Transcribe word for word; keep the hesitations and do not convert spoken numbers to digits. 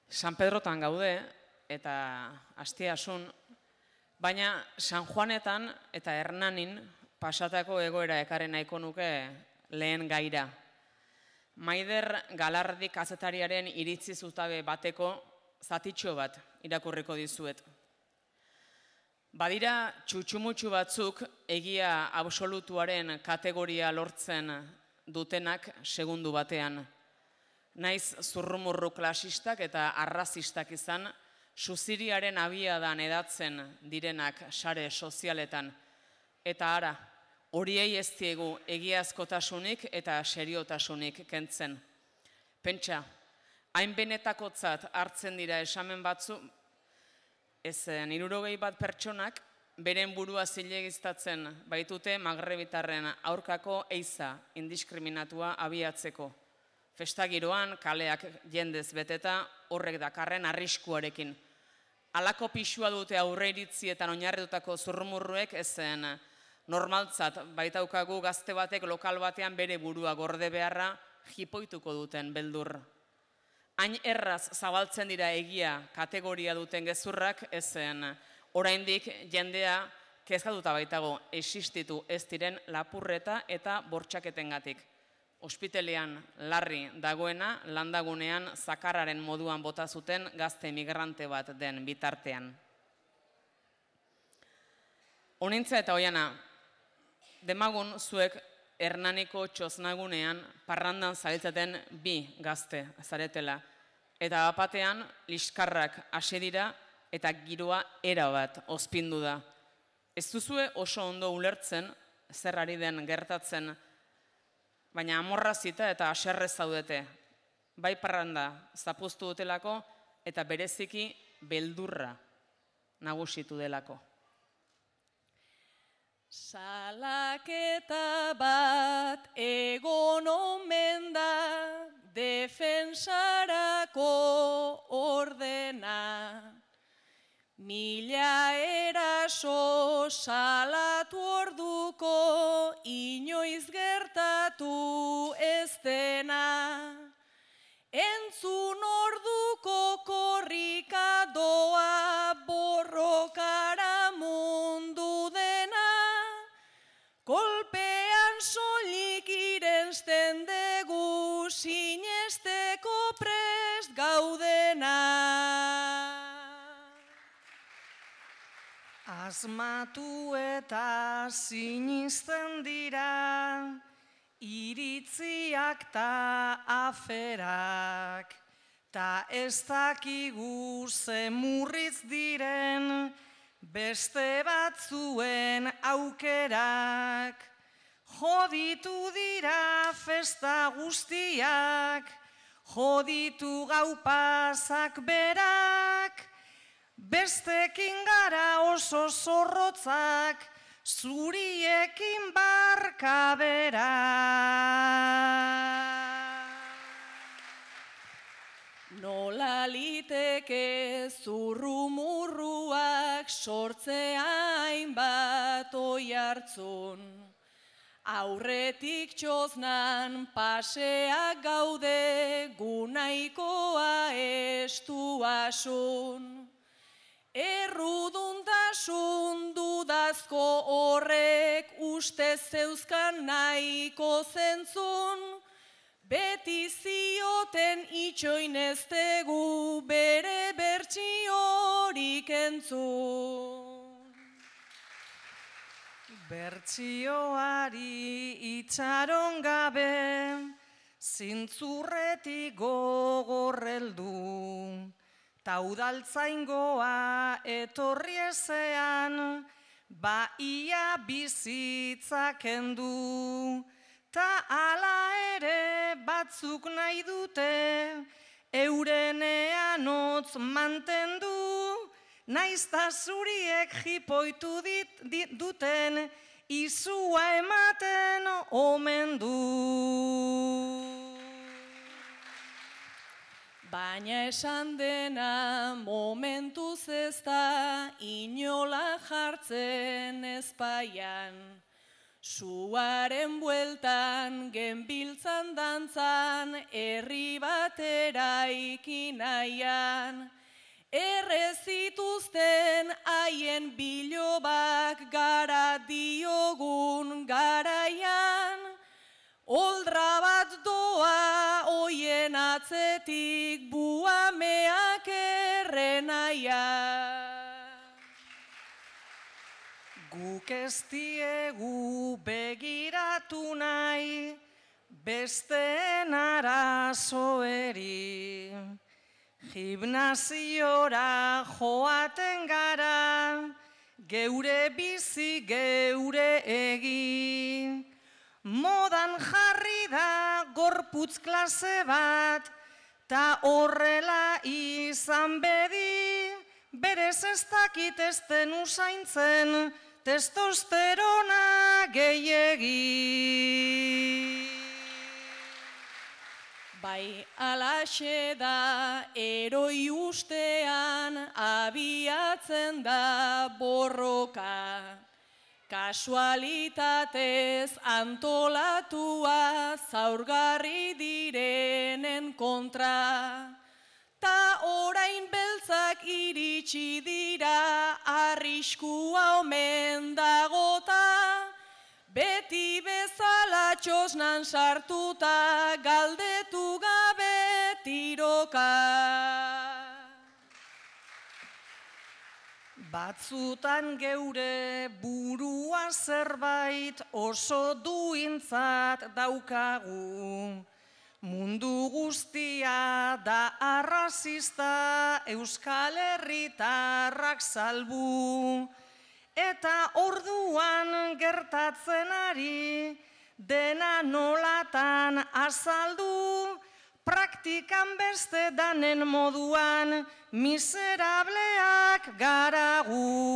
San Pedrotan gaude eta asteasun, baina San Juanetan eta Hernanin pasatako egoera ekarri nahiko nuke lehen gaira. Maider Galardi kazetariaren iritzi zutabe bateko zatitxo bat irakurriko dizuet. Badira txutxumutxu batzuk egia absolutuaren kategoria lortzen dutenak segundu batean. Naiz zurrumurru klasistak eta arrazistak izan, suziriaren abiadan edatzen direnak sare sozialetan. Eta ara, horiei ez diegu egiazkotasunik eta seriotasunik kentzen. Pentsa, hain benetakotzat hartzen dira esamen batzu, ez hirurogei bat pertsonak beren burua zilegiztatzen baitute magrebitarren aurkako eiza indiskriminatua abiatzeko. Festagiroan, kaleak jendez beteta, horrek dakarren arriskuarekin. Halako pisua dute aurreiritzietan oinarritutako zurrumurruek ezen normaltzat baitaukagu gazte batek lokal batean bere burua gorde beharra jipoituko duten beldur. Hain erraz zabaltzen dira egia kategoria duten gezurrak ezen oraindik jendea kezkatuta baitago existitu ez diren lapurreta eta bortxaketengatik. Ospitalean larri dagoena landagunean zakarraren moduan bota zuten gazte migrante bat den bitartean. Honintza eta oiana, demagun zuek Hernaniko txosnagunean parrandan zabiltzaten bi gazte zaretela, eta bapatean liskarrak hasi dira eta giroa erabat ozpindu da. Ez duzue oso ondo ulertzen zer ari den gertatzen, baina amorrazita eta haserrez zaudete, bai parranda zapuztu dutelako eta bereziki beldurra nagusitu delako. Salaketa bat egon omen da defensarako ordena. Mila eraso salatu orduko inoiz gertatu ez dena. Entzun orduko korrika doa borrokara mundu dena. Kolpean soilik irensten dugu sinesteko prest gaudena. Asmatu eta sinisten dira, iritziak ta aferak, ta ez dakigu ze murritz diren, beste batzuen aukerak. Joditu dira festa guztiak, joditu gau pasak berak, bestekin gara oso zorrotzak, zuriekin barka berak. Nola liteke zurrumurruak sortzea hainbat oihartzun. Aurretik txoznan paseak gaude gunaikoa estu asun. Erruduntasun dudazko horrek uste zeuzkan nahiko zentzun, beti zioten itxoineztegu bere bertsiorik entzun. Bertsioari itxaron gabe, zintzurretik gogorreldu. Ta udaltzaingoa etorri ezean, ba ia bizitza kendu. Ta ala ere batzuk nahi dute, eurenean hotz mantendu. Naizta zuriek jipoitu dit, dit, duten, izua ematen omen du. Baina esan dena momentuz ez da inola jartzen ezpaian. Suaren bueltan genbiltzan dantzan herri batera ikinaian. Errezituzten haien bilobak gara diogun garaian, oldra bat doa oien atzetik buameak errenaia. Guk ez diegu begiratu nahi besteen arazoeri. Gimnasiora joaten gara, geure bizi geure egin. Modan jarri da gorputz klase bat, ta horrela izan bedi, berez ez dakit ez den usaintzen, testosterona gehiegi. Bai alaxe da eroi ustean abiatzen da borroka, kasualitatez antolatua zaurgarri direnen kontra. Ta orain beltzak iritsi dira arriskua omen dagota, beti bezala txosnan sartuta galdetu gabe tiroka. Batzutan geure burua zerbait oso duintzat daukagu. Mundu guztia da arrazista, Euskal Herritarrak salbu. Eta orduan gertatzen ari, dena nolatan azaldu, praktikan beste danen moduan, miserableak garagu.